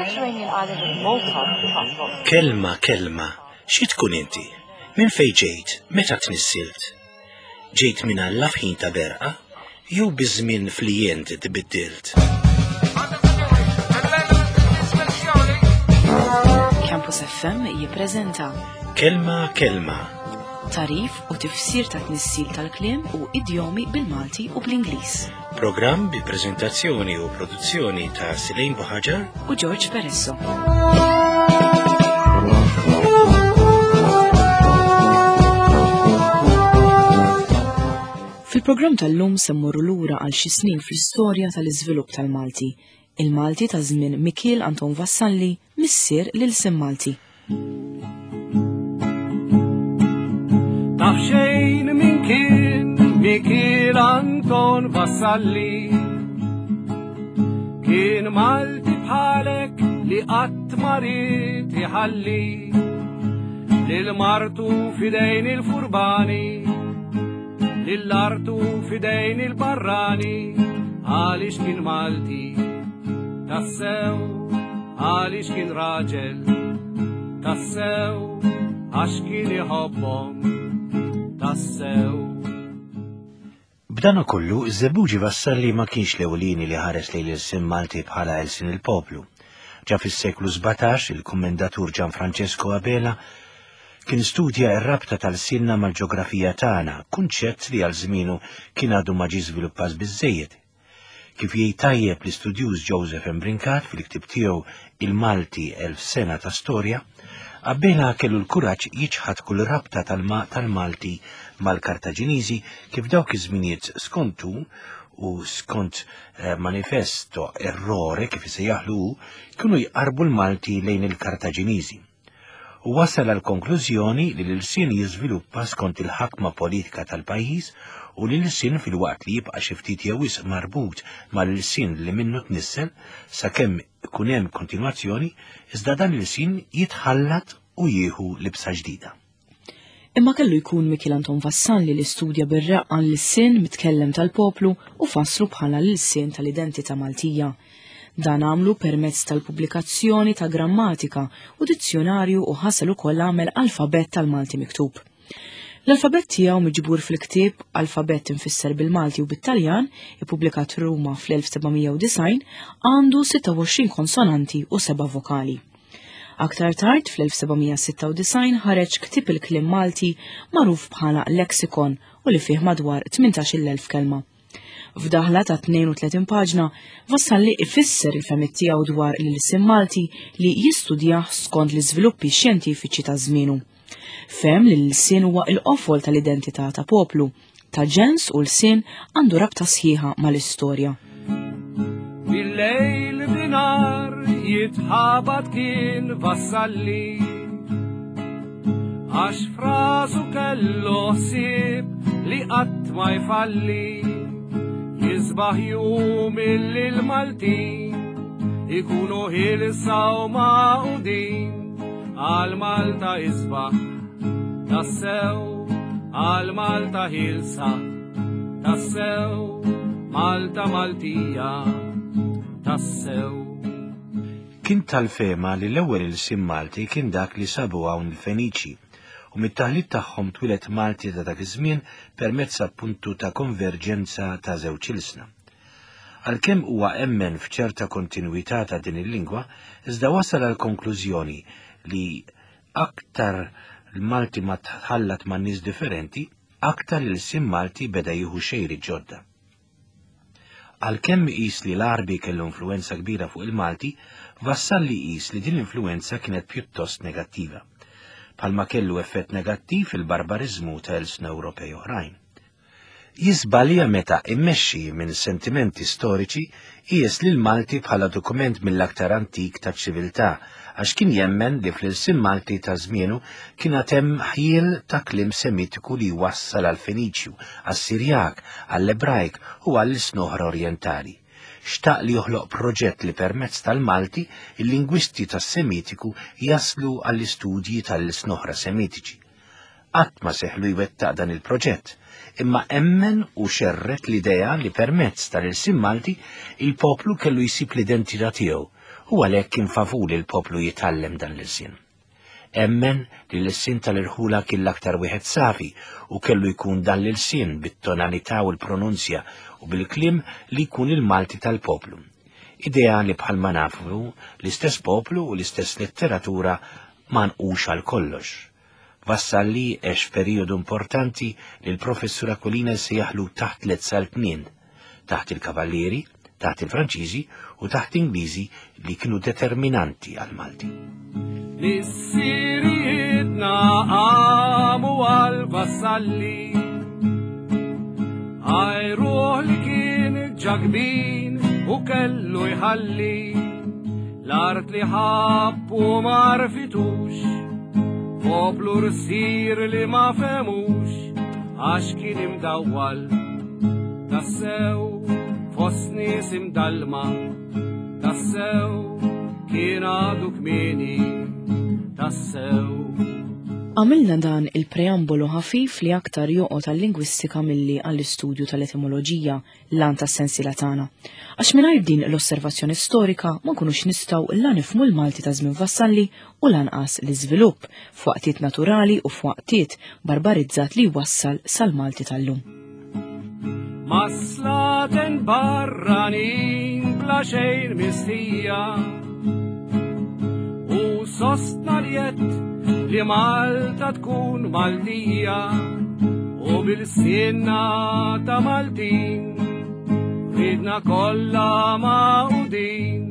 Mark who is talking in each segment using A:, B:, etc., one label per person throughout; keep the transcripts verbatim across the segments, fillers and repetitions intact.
A: Mediterranean island of Malta tough
B: Kelma, kelma, xi tkun inti? Minn fejn ġejt? Meta tnissilt? Ġejt minn Alla f'ħin ta' berqa? Jew biż-żmien flijent tbiddilt?
C: Campus F M jippreżenta
B: Kelma, kelma,
C: tarif u tifsir ta' tnissil tal-kliem u idjomi bil-Malti u bl-Ingliż.
B: Programm bi preżentazzjoni u produzzjoni ta' Silejn Buħaġar
C: u George Peresso. Fil-programm tal-lum se mmorru lura għal xi snin fl-istorja tal-iżvilupp tal-Malti. Il-Malti ta' żmien Mikiel Anton Vassalli, missier lil Malti.
D: Taf xejn min kien Mikiel Anton Vassalli, kien Malti bħalek li qatt ma ried iħalli lil martu fidejn il-furbani, lil artu fidejn il-barrani, għaliex kien Malti tassew, għaliex kien raġel tassew, għax kien iħobbhom tassew.
B: B'dan kollu, iż-Żebbuġi Vassalli ma kienx l-ewlieni li ħares lejn l-ilsien Malti bħala ilsien il-poplu. Ġa fis-seklu sbatax, il-kommendatur Gianfrancesco Abela kien studja r-rabta tal-sinna mal-ġeografija tagħna, kunċett li għal żmienu kien għadu ma ġie żviluppat biżżejjed. Kif jgħid tajjeb l-istudjuż Joseph Brincat fil-ktieb tiegħu Il-Malti Elf Sena ta' Storja, Abela kellu l-kuraġġ jiċħad kull rabta tal-ma-, tal-Malti mal-Kartaġiniżi kif dawk iż-żminijiet skontu u skont, eh, manifesto errore kif isejjaħlu hu, kienu jqarbu l-Malti lejn il-Kartaġiniżi. U wasal għal konklużjoni li l-ilsien jiżviluppa skont il-ħakma politika tal-pajjiż u li l-ilsien filwaqt li jibqa' xi ftit jew wisq marbut mal-ilsien li minnu tnissel sakemm ikun hemm kontinwazzjoni, iżda dan l-ilsien jitħallat u jieħu libsa ġdida.
C: Imma kellu jkun Mikiel Anton Vassalli li studja bir-raqqa l-ilsien mitkellem tal-poplu u fasslu bħala l-ilsien tal-identità Maltija. Dan għamlu permezz tal-pubblikazzjoni ta' grammatika u dizzjonarju u ħasel ukoll għamel alfabett tal-Malti miktub. L-alfabett tiegħu miġbur fil-ktieb Alfabett infisser bil-Malti u bit-Taljan, ippubblikat Ruma fl-elf seba' mija u disgħin, għandu sitta u għoxrin konsonanti u seba' vokali. Aktar tard fl-elf seba' mija sitta u disgħin ħareġ ktieb il-kliem Malti magħruf bħala Lexikon u li fih madwar tmintax-il elf kelma. F'daħla ta' tnejn u tletin paġna, Vassalli ifisser il-fehmiet tiegħu dwar l-ilsien Malti li jistudjah skont l-iżviluppi xjentifiċi ta' żmienu. Fehem li l-ilsien huwa l-qofol tal-identità ta' poplu, ta' ġens u l-sien għandu rabta sħiħa mal-istorja.
D: Bil-lejl binar jitħabat kien Vassalli, għax frasu kellu ħsieb li qatt ma jfalli. Jisbaħ jum illi l-Maltin ikunu ħilsa u magħqudin, għal Malta isbaħ tassew, għal Malta ħilsa tassew, Malta Maltija tassew.
B: Kien tal-fema li l-ewwel ilsien Malti kien dak li sabu hawn il-Feniċi, u mit-taħlit tagħhom twieled Malti ta' dak iż-żmien permezz appuntu ta' konverġenza ta' żewġ ilsna. Għalkemm huwa emmen f'ċerta kontinwità ta' din il-lingwa, iżda wasal għal konklużjoni li aktar l-Malti ma tħallat ma' nies differenti, aktar l-ilsien Malti beda jieħu xejri ġodda. Għalkemm qis li l-Għarbi kellu influenza kbira fuq il-Malti, Vassalli qis li din l-influenza kienet pjuttost negattiva, bħalma kellu effett negattiv il-barbariżmu ta' ilsna Ewropej oħrajn. Jiżbalja meta immexxi minn sentimenti storiċi qies lil Malti bħala dokument mill-aktar antik ta' ċiviltà, għax kien jemmen li fl-ilsien Malti ta' żmienu kien għad hemm ħjiel ta' kliem Semitiku li wassal għall-Feniċju, għas-Sirjak, għall-Ebrajk u għall-ilsna oħra orjentali. Xtaq li joħloq proġett li permezz tal-Malti il-lingwisti tas-Semitiku jaslu għall-istudji tal-ilsna oħra Semitiċi. Qatt ma seħlu jwettaq dan il-proġett, imma emmen u xerret l-idea li permezz tal-ilsien Malti il-poplu kellu jsib l-identità tiegħu U għalhekk kien favur li l-poplu jitgħallem dan l-ilsien. Emmen li l-ilsien tal-irħula kien l-aktar wieħed safi u kellu jkun dan l-ilsien bit-tonalità u l-pronunzja u bil-kliem li jkun il-Malti tal-poplu. Idea li bħalma nafu l-istess poplu u l-istess letteratura ma nqux għal kollox. Vassalli għex periodu importanti li l-professur Aquilina sejjaħlu taħt tliet saltnien, taħt il-Kavallieri, taħt il-Franċiżi u taħt Ingliżi li kienu determinanti għal-Malti.
D: Missirijietna qamu għal Vassalli, għajruh li kien ġakbin u kellu jħalli, l-art li ħabbu ma rfitux, poplu rsir li ma femux, għax kien imdawwal, tassew fost nies imdallma, tassew kien għadu kmieni, tassew.
C: Għamilna dan il-preambolu ħafif li aktar joqgħod għal-lingwistika milli għall-istudju tal-etimoloġija l-għan tas-sensiela tagħna. Għax mingħajr din l-osservazzjoni storika ma nkunux nistgħu la nifhmu l-Malti ta' żmien Vassalli u lanqas l-iżvilupp f'waqtiet naturali u f'waqtiet barbarizzat li wassal sal-Malti tal-lum.
D: Maslaten barranin bla xejn mistija, u sostna li jett li Malta tkun Maltija, u bil-sinna ta' Maltin ridna kollha magħqudin,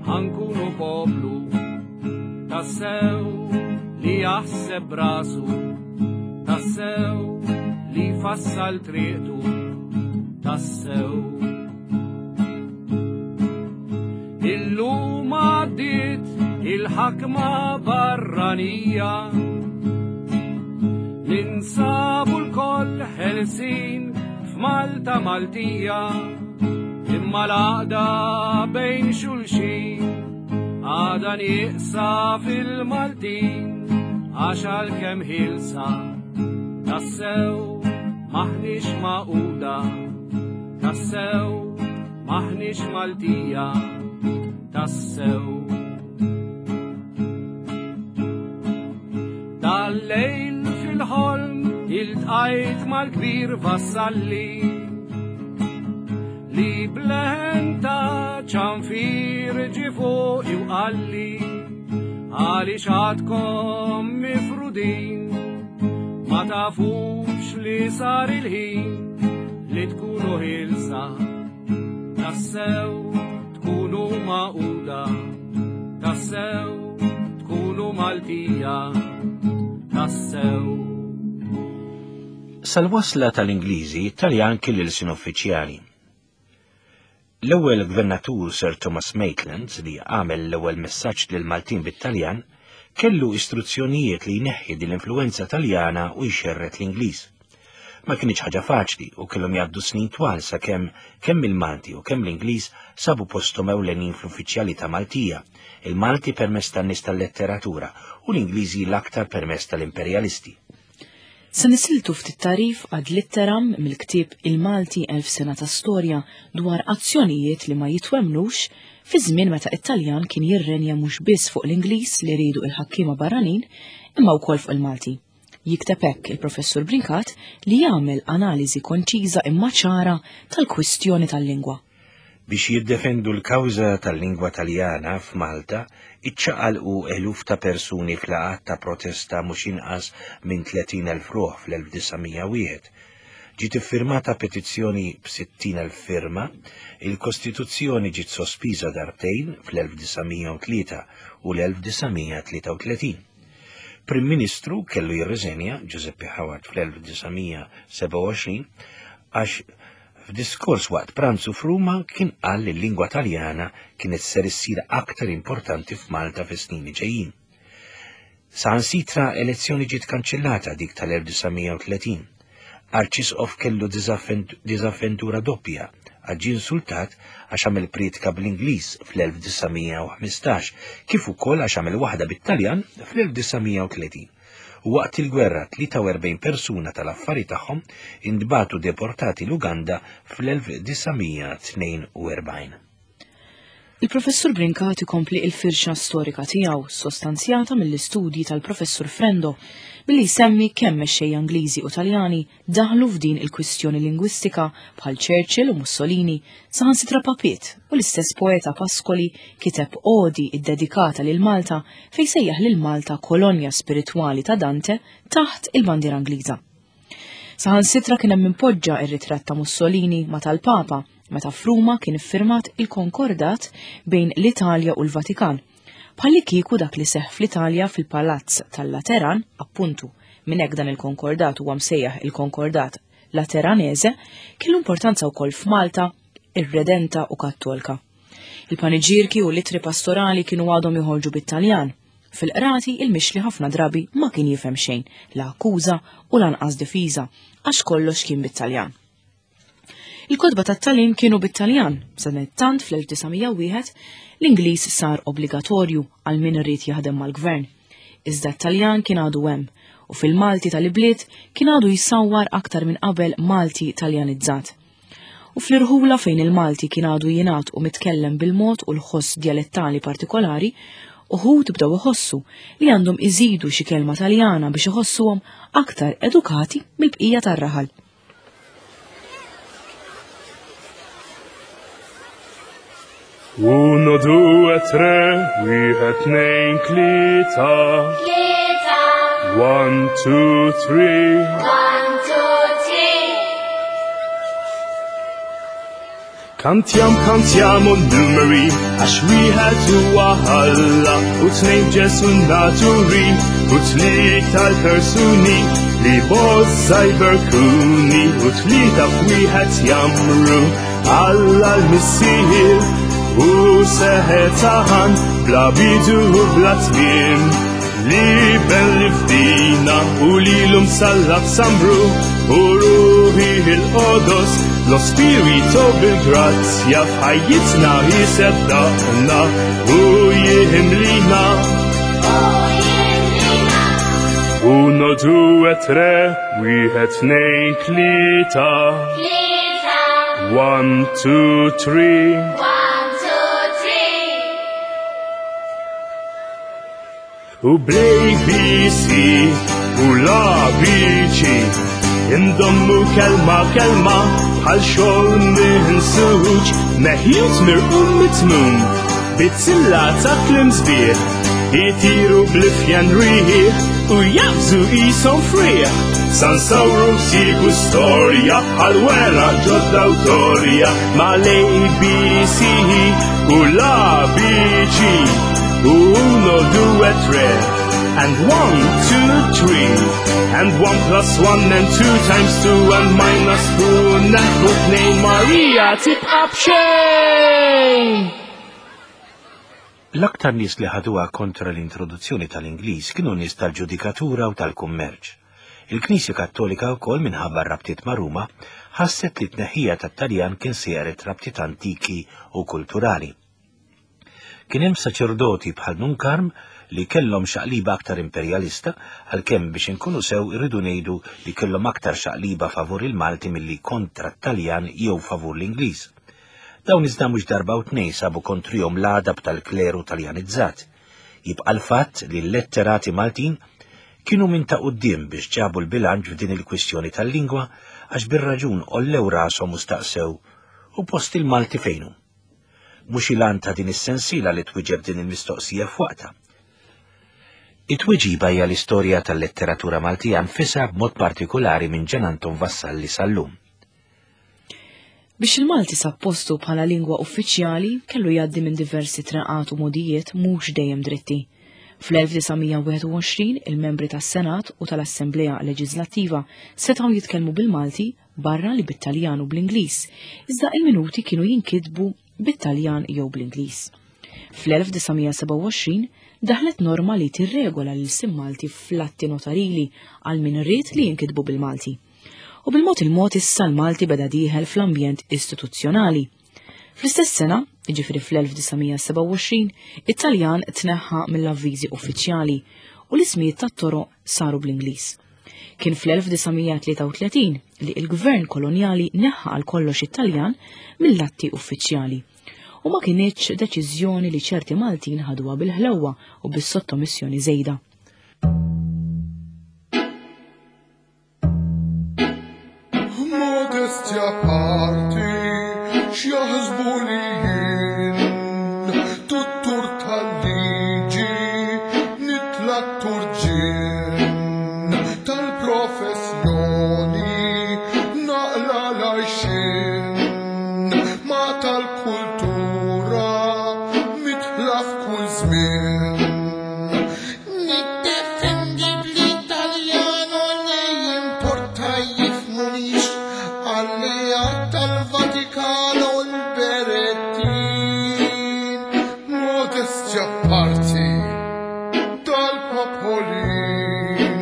D: ħankunu poplu tassew li jaħseb rasu, tassew li fassal triqtu, tassew. Illum għaddiet il-ħakma barranija, ninsabu l-koll ħelsin f'Malta Maltija, imma l-għaqda bejn xulxin għadha nieqsa fil-Maltin, għax għalkemm ħilsa tassew maħniex magħquda, tassew maħniex Maltija, tassew. Tal-lejl fil-ħolm iltqajt mal-kbir Vassalli, li bleħen ta' ċanfir ġie fuqi u qalli, għaliex għadkom mifrudin, ma tafux li sar il-ħin li tkunu ħilsa, tassew tkunu magħquda, tassew tkunu Maltija, tassew.
B: Sal-wasla tal-Ingliżi, Taljan kien l-ilsien uffiċjali. L-ewwel gvernatur Sir Thomas Maitland, li għamel l-ewwel messaġġ lil Maltin bit-Taljan, kellu istruzzjonijiet li jneħħi din l-influenza Taljana u jxerret l-Ingliż. Ma kienx ħaġa faċli u kellhom jgħaddu snin twal sakemm kemm il-Malti u kemm l-Ingliż sabu posthom ewlenin fl-uffiċjalità Maltija, il-Malti permezz tan-nies tal-letteratura u l-Ingliżi l-aktar permezz tal-imperjalisti.
C: Se nisiltu ftit tarif ad litteram mill-ktieb Il-Malti Elf Sena ta' Storja dwar azzjonijiet li ma jitwemnux fi żmien meta it-Taljan kien jirrenja mhux biss fuq l-Ingliż li riedu il-ħakkiema barranin imma wkoll fuq il-Malti. Jikteb hekk il-Professur Brincat li jagħmel analiżi konċiża imma ċara tal-kwistjoni tal-lingwa.
B: Biex jiddefendu l-kawża tal-lingwa Taljana f'Malta, iċċaqalqu eluf ta' persuni f'laqgħat ta' protesta mhux inqas minn tletin elf ruħ fl-elf disa' mija wieħed. Ġiet iffirmata petizzjoni b'sittin elf firma, il-Kostituzzjoni ġiet sospiża darbtejn fl-elf disa' mija u tlieta u l-elf disa' mija tlieta u tletin. Prim Ministru kellu jirriżenja Giuseppe Howard fl-elf disa' mija seba' u għoxrin għax f'diskors waqt pranzu f'Ruma kien qal li l-lingwa Taljana kienet ser issir aktar importanti f'Malta fis-snin li ġejjin. Saħansitra elezzjoni ġiet kanċellata dik tal-elf disa' mija u tletin. Arċisqof kellu diżavventura doppja għax ġie insultat għax għamel prietka bl-Ingliż fl-elf disa' mija u ħmistax, kif ukoll għax għamel waħda bit-Taljan fl-elf disa' mija u tletin. U waqt il-gwerra tlieta u erbgħin persuna tal-affari tagħhom intbagħtu deportati l-Uganda fl-elf disa' mija tnejn u erbgħin.
C: Il-Professur Brincat ikompli il-firxa storika tiegħu sostanzjata mill-istudji tal-Professur Frendo billi jsemmi kemm mexxejja Ingliżi u Taljani daħlu f'din il-kwistjoni lingwistika bħal Churchill u Mussolini, saħansitra Papiet u l-istess poeta Pascoli kiteb odi iddedikata lil Malta fejn sejjaħ lil Malta kolonja spiritwali ta' Dante taħt il-bandiera Ingliża. Saħansitra kien hemm impoġġa ir-ritratt ta' Mussolini ma' tal-Papa meta f'Ruma kien iffirmat il-konkordat bejn l-Italja u l-Vatikan. Bħalli kieku dak li seħħ fl-Italja fil-Palazz tal-Lateran, appuntu minn hekk dan il-konkordat huwa msejjaħ il-Konkordat Lateranese, kellu importanza wkoll f'Malta, ir-Redenta u Kattolka. Il-paniġirki u l-ittri pastorali kienu għadhom joħorġu bit-Taljan. Fil-qrati il-mixli ħafna drabi ma kien jifhem xejn, la akkuża u lanqas difiża, għax kollox kien bit-Taljan. Il-kotba tat-tagħlim kienu bit-Taljan, sadanittant fl-elf disa' mija wieħed l-Ingliż sar obbligatorju għal min irid jaħdem mal-gvern. Iżda t-Taljan kien għadu hemm u fil-Malti tal-ibliet kien għadu jsawwar aktar minn qabel Malti Taljanizzat. U fl-irħula fejn il-Malti kien għadu jingħad u mitkellem bil-mod u l-ħoss dialettali partikolari, uħud bdew iħossu li għandhom iżidu xi kelma Taljana biex iħossuhom aktar edukati mill-bqija tar-raħal.
E: Uno, due, tre, wieħed, tnejn, tlieta.
F: Tlieta.
E: One, two, three.
F: One, two, three.
E: Kantiam, kantiamo numeri, għax wieħed huwa Alla, u tnejn Ġesu naturi, u tlieta l-persuni, li bozza jberkuni, u tlieta f'wieħed jamru, Alla l-Missier. U seħetaħan bla bidu u bla tmiem, li ben li fdina u li l-um sallab samru, u ruħi il-qodos, lo spirito bil-grazzja f'ħajjitna jiseddaqna u jihimlina. Uno, due, tre, wieħed, tnejn, tlieta.
F: Tlieta.
E: One, two, three. U bl-A B C u l-A B C indommu kelma kelma bħal xogħol minsuġ, meħjut mirqum mitmum bizzilla ta' klim sbieħ, jitiru bl-ifjan rieħ u jabżu qishom frieħ. Sansawru sigu storja bħal wera ġodda awtorja mal-A B C u l-A B C. Uno, due, tre, and one, two, three, and one plus one and two times two and minus two, naħbu tnejn Maria tibqa' b'xejn.
B: L-aktar nies li ħaduha kontra l-introduzzjoni tal-Ingliż kienu nies tal-ġudikatura u tal-kummerċ. Il-Knisja Kattolika wkoll minħabba r-rabtiet ma' Ruma ħasset li t-tneħħija tat-Taljan kien sejret rabtiet antiki u kulturali. Kien hemm saċerdoti bħal Nun Karm li kellhom xaqliba aktar imperjalista, għalkemm biex inkunu sew irridu ngħidu li kellhom aktar xaqliba favur il-Malti milli kontra t-Taljan jew favur l-Ingliż. Dawn iżda mhux darba u tnejn sabu kontrihom l-għadab tal-kleru taljanizzat. Jibqa' l-fatt li l-letterati Maltin kienu minn ta' quddiem biex ġabu l-bilanċ f'din il-kwistjoni tal-lingwa għax bir-raġun ollew rashom u staqsew u post il-Malti fejnu. Mhux il-għan ta' din is-sensiela li twieġeb din il-mistoqsija f'waqtha. It-tweġiba hija l-istorja tal-letteratura Maltija nfisha b'mod partikolari minn Gian Anton Vassalli sal-lum.
C: Biex il-Malti sab postu bħala lingwa uffiċjali kellu jgħaddi minn diversi traqat u modijiet mhux dejjem dritti. Fl-elf disa' mija wieħed u għoxrin il-membri tas-Senat u tal-Assemblea Leġislattiva setgħu jitkellmu bil-Malti barra li bit-Taljan u bl-Ingliż, iżda il-minuti kienu jinkitbu bit-Taljan jew bl-Ingliż. Fl-elf disa' mija sebgħa u għoxrin daħlet norma li tirregola l-ilsien Malti fl-atti notarili għal min ried li jinkitbu bil-Malti. U bil-mod il-mod issa l-Malti beda dieħel fl-ambjent istituzzjonali. Fl-istess sena, jiġifieri fl-elf disa' mija sebgħa u għoxrin, it-Taljan tneħħa mill-avviżi uffiċjali u l-ismijiet tat-toroq saru bl-Ingliż. Kien fl-elf disa' mija tlieta u tletin li l-gvern kolonjali neħħa għal kollox it-Taljan mill-atti uffiċjali. u ma kinitx deċiżjoni li ċerti Maltin ħaduha bil-ħlewwa u bis-sottomissjoni żejda.
G: Modestja parti x'jaħsbu li jien tuttur tal-liġi nitla' turġien tal-professjoni naqla l-għajxien ma tal-kultura mitla f'kull żmien. Niddefendi bl-Italjano li jimporta jifmunix alleat tal-Vatikano l-Berettin. Modestja parti dal-popolin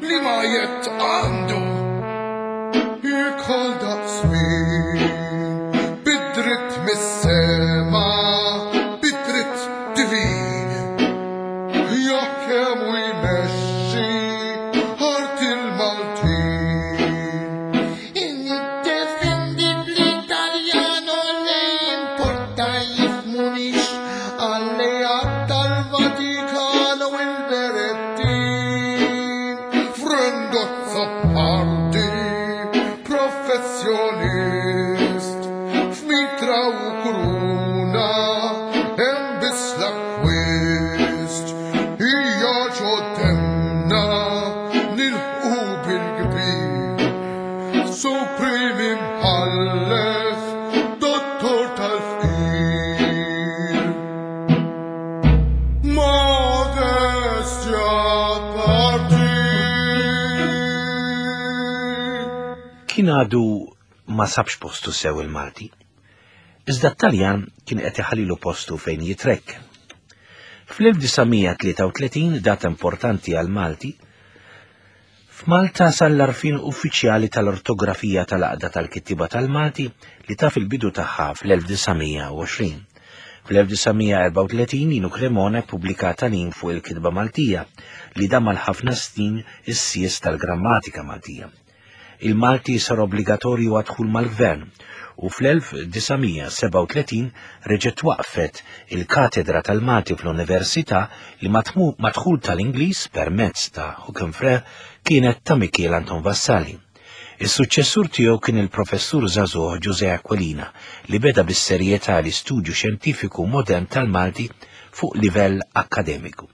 G: li ma jett għandu ikol daqsmin bid-dritt mis-sema bid-dritt divin jaħkem u jmexxi art il-Maltin. Niddefendi bl-Italjano li jimporta jifmunix alleat tal-Vatikano il-Berettin. Frendozza parti professjonist f'mitra u kuruna hemm biss l-akkwist hija ġoddemna nilħqu bil-kbir Supreme imħallef dottor tal-fqir. Modestja parti.
B: Kien għadu ma sabx postu sew il-Malti. Iżda t-Taljan kien qed iħallilu postu fejn jitrekken. Fl-elf disa' mija tlieta u tletin, data importanti għal Malti, f'Malta sar l-għarfien uffiċjali tal-ortografija tal-Għaqda tal-Kittieba tal-Malti li taf il-bidu tagħha fl-elf disa' mija u għoxrin. Fl-elf disa' mija erbgħa u tletin Ninu Cremona ppubblika tagħlim fuq il-kitba Maltija li dam għal ħafna snin is-sies tal-grammatika Maltija. Il-Malti sar obbligatorju għad-dħul mal-gvern u fl-elf disa' mija sebgħa u tletin reġgħet waqfet il-katedra tal-Malti fl-Università li matmu-, madħul tal-Ingliż permezz ta' Hookham Frere kienet ta' Mikiel Anton Vassalli. Is-suċċessur tiegħu kien il-professur żagħżugħ Ġużè Aquilina li beda bis-serjetà l-istudju xjentifiku modern tal-Malti fuq livell akkademiku.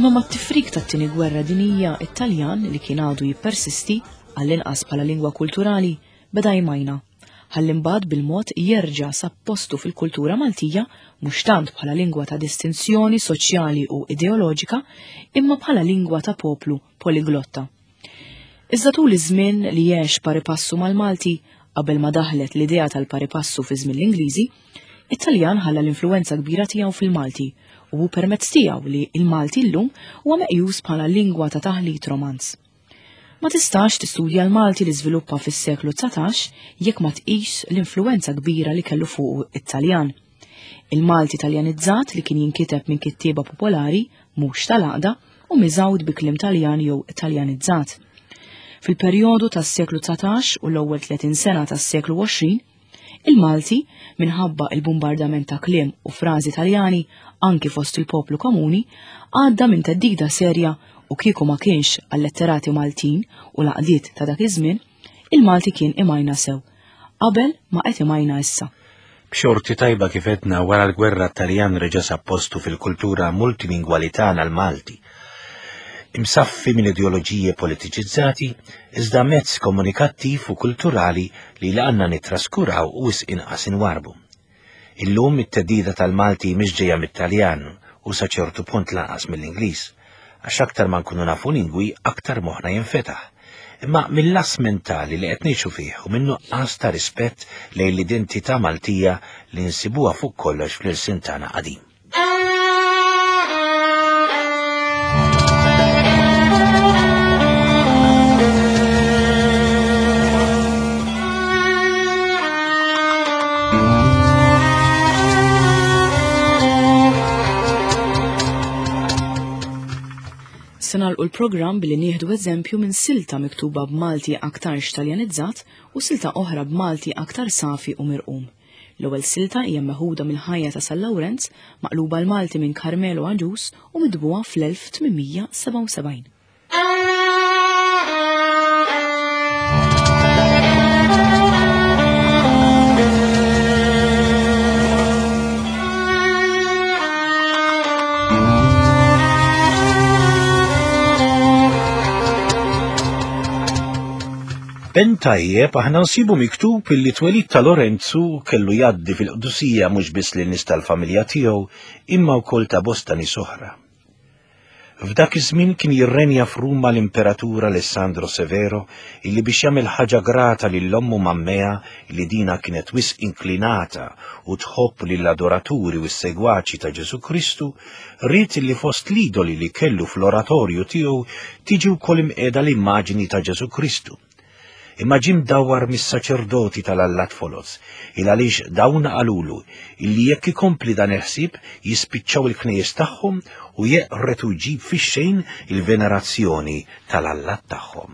C: Imma mat-tifrik tat-tieni gwerra dinija, it-Taljan li kien għadu jippersisti għall-inqas bħala lingwa kulturali beda jmajna. Ħalli mbagħad bil-mod jerġa' sab postu fil-kultura Maltija mhux tant bħala lingwa ta' distinzjoni soċjali u ideoloġika, imma bħala lingwa ta' poplu poliglotta. Iżda tul iż-żmien li għex paripassu mal-Malti qabel ma daħlet l-idea tal-paripassu fi żmien l-Ingliżi, it-Taljan ħalla l-influenza kbira tiegħu fil-Malti u hu permezz tiegħu li l-Malti llum huwa meqjus bħala lingwa ta' taħlit romanz. Ma tistax tistudja l-Malti li żviluppa fis-seklu dsatax jekk ma tqis l-influenza kbira li kellu fuq it-Taljan. Il-Malti Taljanizzat li kien jinkiteb minn kittieba popolari, mhux tal-għaqda, u miżgħud bi kliem Taljan jew Taljanizzat. Fil-perjodu tas-seklu dsatax u l-ewwel tletin sena tas-seklu għoxrin, il-Malti, minħabba il-bombardament ta' kliem u frażi Taljani anki fost il-poplu komuni, għadda minn theddida serja u kieku ma kienx għal-letterati Maltin u l-għaqdiet ta' dak iż-żmien, il-Malti kien imajna sew, qabel ma qed imajna issa.
B: B'xorti tajba kif għedna wara l-gwerra Taljan reġa' sab postu fil-kultura multilingwali tagħna l-Malti. Imsaffi minn ideoloġiji politiċizzati, iżda mezz komunikattiv u kulturali li laqanna nittraskuraw u wisq inqas inwarbu. Illum it-teddida tal-Malti mhix ġejja mit-Taljan u sa ċertu punt lanqas mill-Ingliż, għax aktar ma nkunu nafu lingwi aktar moħħna jinfetaħ. Imma mill-las mentali li qed ngħixu fih u minn nuqqas ta' rispett lejn l-identità Maltija li nsibuha fuq kollox fl-ilsien tagħna qadim.
C: Se nagħlqu l-programm billi nieħdu eżempju minn silta miktuba b'Malti aktarx Taljanizzat u silta oħra b'Malti aktar safi u mirqum. L-ewwel silta hija meħuda mill-ħajja ta' San Lawrenz, maqluba l-Malti minn Carmelo Agius u mitbuha fl-elf tmien mija sebgħa u sebgħin.
B: Ben tajjeb aħna nsibu miktub illi twelid ta' Lorenzu kellu jgħaddi fil-qdusija mhux biss lin nies tal-familja tiegħu imma wkoll ta' bosta nies oħra. F'dak iż-żmien kien jirrenja f'Ruma l-Imperatur Alessandro Severo illi biex jagħmel ħaġa grata lil ommu Mammea illi dina kienet wisq inklinata u tħobb lill-adoraturi u s-segwaċi ta' Ġesu Kristu, ried illi fost l-idoli li kellu fl-oratorju tiegħu tiġi wkoll imqiegħda l-immaġini ta' Ġesu Kristu. Imma ġie mdawwar mis-saċerdoti tal-allat foloz, il għaliex dawn qalulu illi jekk ikompli dan il-ħsieb jispiċċaw il-knejjes tagħhom u jeqret u jġib fix-xejn il-venerazzjoni tal-allat tagħhom.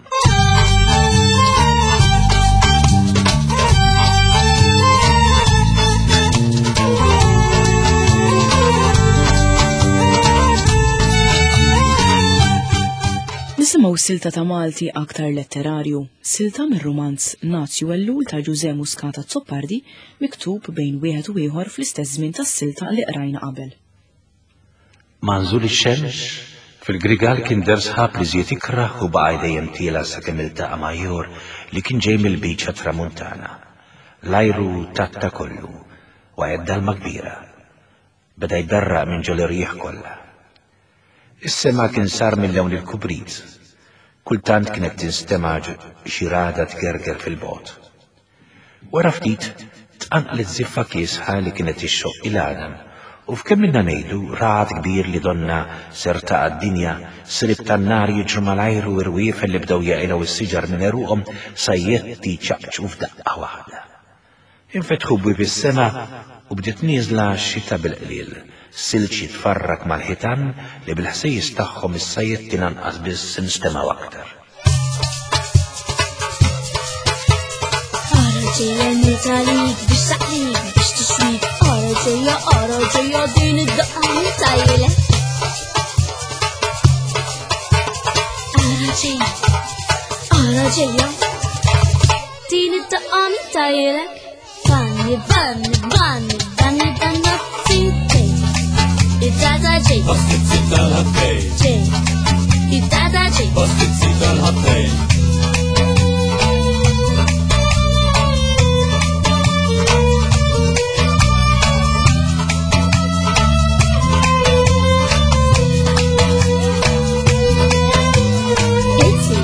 C: Nisimgħu silta ta' Malti aktar letterarju, silta mir-rumanz Nazju Ellul ta' Ġużè Muscat Azzopardi, miktub bejn wieħed u ieħor fl-istess żmien tas-silta li qrajna qabel.
B: Ma nżul ix-xemx, fil-grigal kien der sħab li żied ikrah u baqa' dejjem tiela sakemm iltaqa' ma' ieħor li kien ġej mill-biċċa tramuntana. L-ajru tatta kollu, waqgħet dalma kbira. Beda jberraq minn ġol irjieħ kollha. Is-sema kien sar mill-lewn il-kubrit. Kultant kienet tinstema' xi rada tgerger fil-bogħod. Wara ftit tqanqlet żiffa kiesħa li kienet ixxoq il-għadam u f'kemm minna ngħidu ragħad kbir li donna ser taqa' d-dinja, srib tan-nar jiġru mal-ajru u rwiefel li bdew jaqilgħu s-siġar minn għeruqhom sajjetti ċaqċqu f'daqqa waħda. Infetħu bwieb is-sema u bdiet nieżla x-xita bil-qliel, silġ jitfarrak mal-ħitan li bil-ħsejjes tagħhom is-sajjetti lanqas biss instemgħu aktar.
F: Ara ġejja nitalik biex taqlik biex tixwik, ara ġejja, ara ġejja din id-daqqa nitajlek. Ara ġejja, ara ġejja din id-daqqa nitajlek. Vanni, vanni, vanni, vanni, vanni, Id-data ġej.
H: Pastizzi tal-ħattej.
F: Ġej. Id-data ġej.
H: Pastizzi tal-ħattej.
F: Itzi,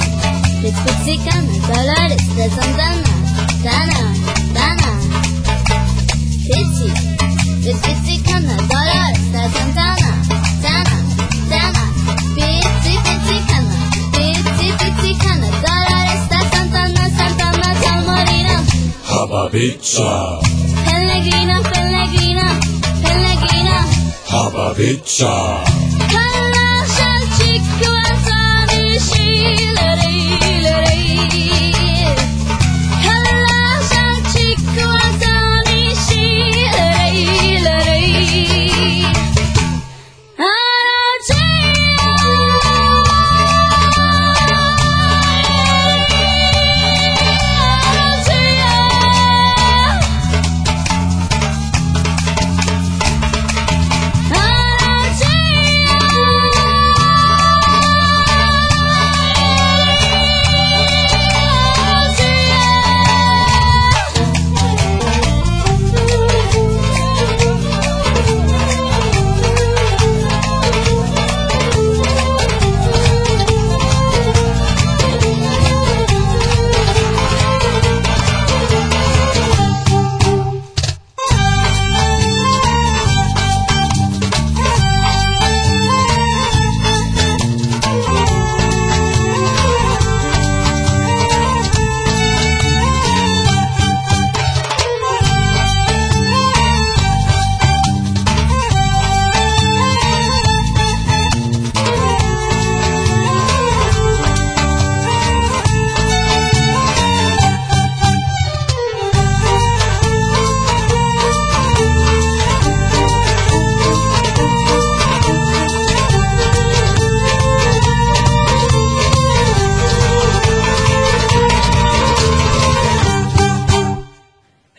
F: bitpizzikana, Dolores de Santana, Tana, Tana. Itzi, bitpizzikana, Dolores de Santana, Tana, Tana. Pizzi, pizzicana, pizzi, pizzicana, Dolores de Santana, Santana, Salmorina.
H: Hababiccia.
F: Pellegrina, Pellegrina.
H: Biċċa.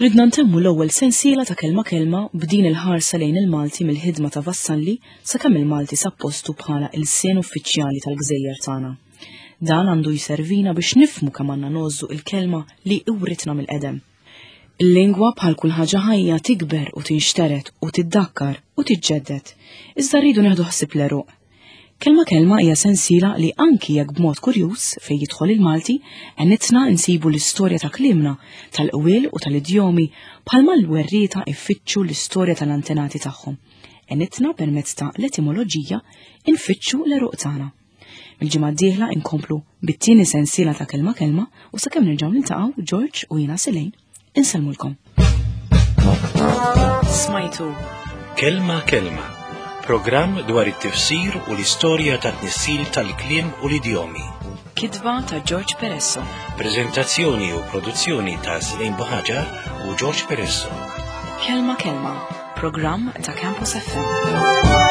C: Ridna ntemmu l-ewwel sensiela ta' Kelma Kelma b'din il-ħarsa lejn il-Malti mill-ħidma ta' Vassalli sakemm il-Malti sab postu bħala ilsien uffiċjali tal-gżejjer tagħna. Dan għandu jservina biex nifhmu kemm għandna ngħożżu il-kelma li iwritna mill-qedem. Il-lingwa bħal kull ħaġa ħajja tikber u tinxteret u tiddakkar u tiġġedded, iżda rridu nieħdu ħsieb l-għeruq. Kelma Kelma hija sensiela li anki jekk b'mod kurjuż fejn jidħol il-Malti għenitna nsibu l-istorja ta' kliemna, tal-qwiel u tal-idjomi bħalma l-werrieta ifittxu l-istorja tal-antenati tagħhom. Għenitna permezz ta' l-etimoloġija nfittxu l-għeruq tagħna. Il-ġimgħa d-dieħla inkomplu bit-tieni sensiela ta' Kelma Kelma u sakemm nerġgħu niltaqgħu George u jiena Selejn insellmulkom. Smajtu
B: Kelma Kelma, programm dwar it-tifsir u l-istorja ta' tnissil tal-kliem u l-idjomi.
C: Kitba ta' George Peresso.
B: Prezentazzjoni u produzzjoni ta' Selejn Buhaġar u George Peresso.
C: Kelma Kelma, programm ta' Campus F M.